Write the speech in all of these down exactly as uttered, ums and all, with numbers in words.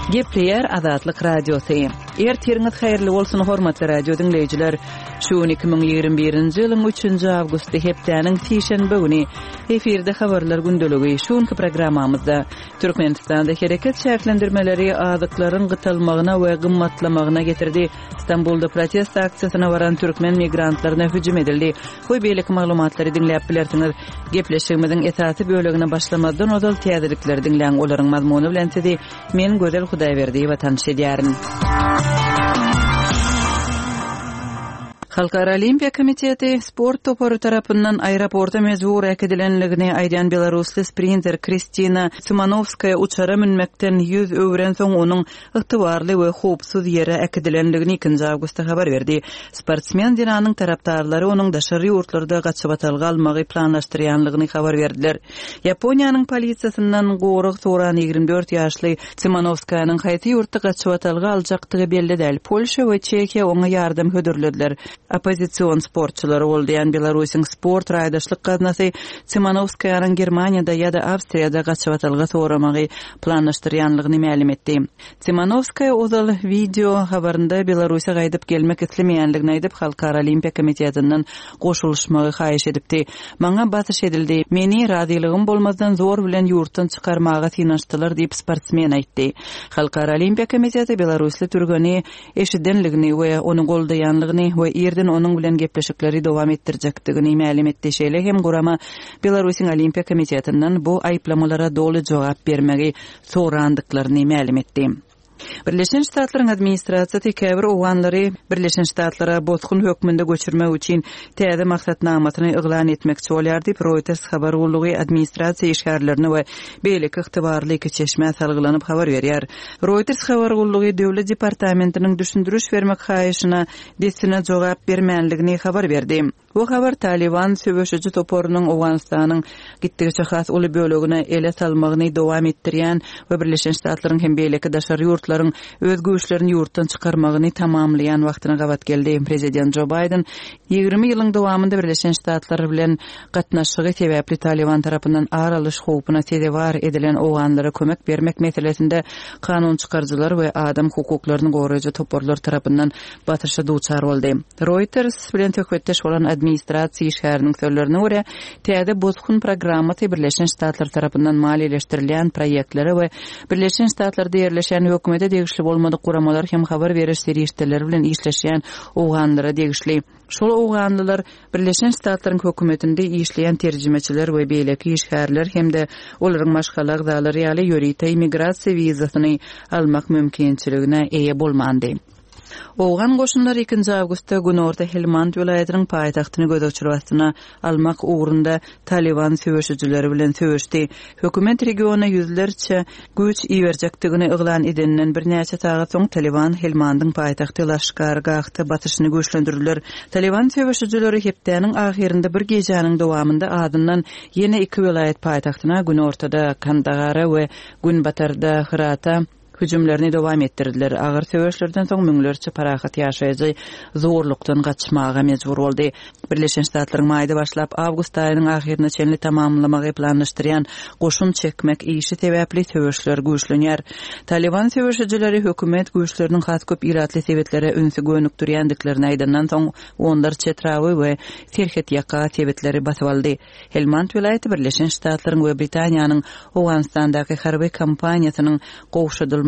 Gepleýär Azatlyk Radiosy. Ertiriňiz haýyrly bolsun, hormatly radio diňleýjiler. Şu gün iki müň ýigrimi birinji ýylyň üçünji awgusty hepdäniň sişenbe güni. Efirde habarlar gündeligi. Şu günki programmamyzda Türkmenistanda hereket çäklendirmeleri azyklaryň gytalmagyna we gymmatlamagyna getirdi. Stambulda protest aksiýasyna baran türkmen migrantlaryna hüjüm edildi. We beýleki maglumatlary diňläp bilersiňiz. Gepleşigimiziň esasy bölegine başlamazdan ozal täzelikleri diňläň, olaryň mazmuny bilen sizi men Gözel Hudaýberdiýewa tanyş edýärin. Halkara Olimpiýa komiteti sport topary tarapyndan aeroporta mejbur äkidilenligini aýdýan belarusly sprinter Kristina Tsimanowskaýa uçara münmekden ýüz öwrensoň onuň ygtybarly we howpsuz ýere äkidilenligini ikinji awgustda habar berdi. Sportsmen zenanyň tarapdarlary onuň daşary ýurtlarda gaçybatalga almagy planlaşdyrýanlygyny habar berdiler. Ýaponiýanyň polisiýasyndan gorag soran ýigrimi dört ýaşly Tsimanowskaýanyň haýsy ýurtda gaçybatalga aljakdygy belli däl. Polşa we Çehiýa oňa ýardam hödürlediler. Oppozision sportçylary goldaýan Belarusyň sport raýdaşlyk gaznasy Tsimanowskaýanyň Germaniýada ýa-da Awstriýada gaçybatalga soramagy planlaşdyrýanlygyny mälim etdi. Tsimanowskaýa ozal wideo habarynda Belarusa gaýdyp gelmek islemeýänligini aýdyp, Halkara Olimpiýa komitetinden goşulyşmagy haýyş edipdi. Maňa basyş edildi. Meni razylygym bolmazdan zor bilen ýurtdan çykarmaga synanyşdylar diýip sportsmen aýtdy. Halkara Olimpiýa komiteti belarusly türgeni eşidenligini we ony goldaýanlygyny we irden onuň bilen gepleşikleri dowam etdirjekdigini mälim etdi. Şeýle hem gurama Belarusyň Olimpiýa komitetinden bu aýyplamalara doly jogap bermegi sorandyklaryny mälim etdi. Birleşen Ştatlaryň administrasiýasy käbir owganlary Birleşen Ştatlara bosgun hökmünde göçürmek üçin täze maksatnamasyny yglan etmekçi bolýar diýip Reuters habar gullugy administrasiýa işgärlerine we beýleki ygtybarly iki çeşmä salgylanyp habar berýär. Reuters habar gullugy Döwlet departamentiniň düşündiriş bermek haýyşyna dessine jogap bermänligini habar berdi. Bu habar Taliban söweşiji toparynyň Owganystanyň gitdigiçe has uly bölegine ele salmagyny dowam etdirýän we Birleşen Ştatlaryň hem beýleki daşary ýurtlaryň öz güýçlerini ýurtdan çykarmagyny tamamlaýan wagtyna gabat geldi. Prezident Joe Biden ýigrimi ýylyň dowamynda Birleşen Ştatlar bilen gatnaşygy sebäpli Taliban tarapyndan ar alyş howpuna sezewar edilen owganlara kömek bermek meselesinde kanun çykaryjylar we adam hukuklaryny goraýjy toparlar tarapyndan basyşa duçar boldy. Reuters bilen söhbetdeş bolan administrasiýa işgäriniň sözlerine görä, täze bosgun programmasy Birleşen Ştatlar tarapyndan maliýeleşdirilýän proýektlere we Birleşen Ştatlarda ýerleşen hökümete degişli bolmadyk guramalar hem habar beriş serişdeleri bilen işleşýän owganlara degişli. Şol owganlylar Birleşen Ştatlaryň hökümetinde işleýän terjimeçiler we beýleki işgärler hem-de olaryň maşgala agzalary ýaly ýörite immigrasiýa wizasyny almak mümkinçiligine eýe bolmandy. Owgan goşunlary ikinji awgustda Günorta Helmand welaýatynyň paýtagtyny gözegçilik astyna almak ugrunda Taliban söweşijileri bilen söweşdi. Hökümet regiona ýüzlerçe güýç iberjekdigini yglan edeninden birnäçe sagat soň Taliban Helmandyň paýtagty Laşkargahda basyşyny güýçlendirdiler. Taliban söweşijileri hepdäniň ahyrynda bir gijäniň dowamynda azyndan ýene iki welaýat paýtagtyna Günortada Kandahara we Günbatarda Hyrata hüjümlerini dowam etdirdiler. Agyr söweşlerden soň müňlerçe parahat ýaşaýjy zorlukdan gaçmaga mejbur boldy. Birleşen Ştatlaryň maýda başlap awgust aýynyň ahyryna çenli tamamlamagy planlaşdyrýan goşun çekmek işi sebäpli söweşler güýçlenýär. Taliban söweşijileri hökümet güýçleriniň has köp ilatly sebetlere ünsi gönükdirýändiklerini aýdandan soň onlarça etraby we serhet ýaka sebetleri basyp aldy. Helmand welaýaty Birleşen Ştatlaryň we Britaniýanyň Owganystandaky harby kampaniýasynyň gowşadylmagynyň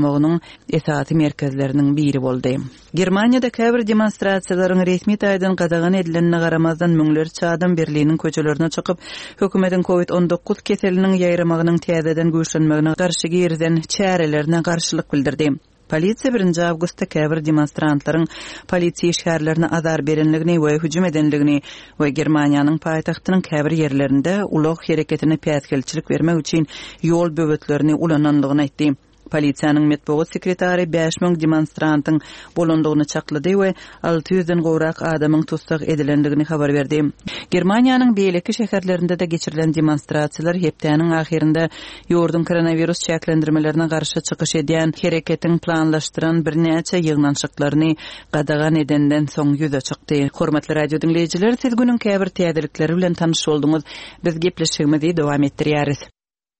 esasy merkezleriniň biri boldy. Germaniýada käbir demonstrasiýalaryň resmi taýdan gadagan edilenine garamazdan müňlerçe adam Berliniň köçelerine çykyp, hökümetiň COVID on dokuz keseliniň ýaýramagynyň täzeden güýçlenmegine garşy girizen çärelerine garşylyk bildirdi. Polisiýa birinji awgustda käbir demonstrantlaryň polisiýa işgärlerine azar berenligini we hüjüm edenligini we Germaniýanyň paýtagtynyň käbir ýerlerinde ulag hereketine päsgelçilik bermek üçin ýol böwetlerini ulananlygyny aýtdy. Polisiýanyň metbugat sekretary bäş müň demonstrantyň bolandygyny çaklady we alty ýüzden gowrak adamyň tussag edilendigini habar berdi. Germaniýanyň beýleki şäherlerinde de geçirilen demonstrasiýalar hepdäniň ahyrynda ýurduň koronawirus çäklendirmelerine garşy çykyş edýän hereketiň planlaşdyran birnäçe ýygnanyşyklaryny gadagan edenden soň ýüze çykdy. Hormatly radio diňleýjiler, siz günüň käbir täzelikleri bilen tanyş bolduňyz. Biz gepleşigimizi dowam etdirýäris.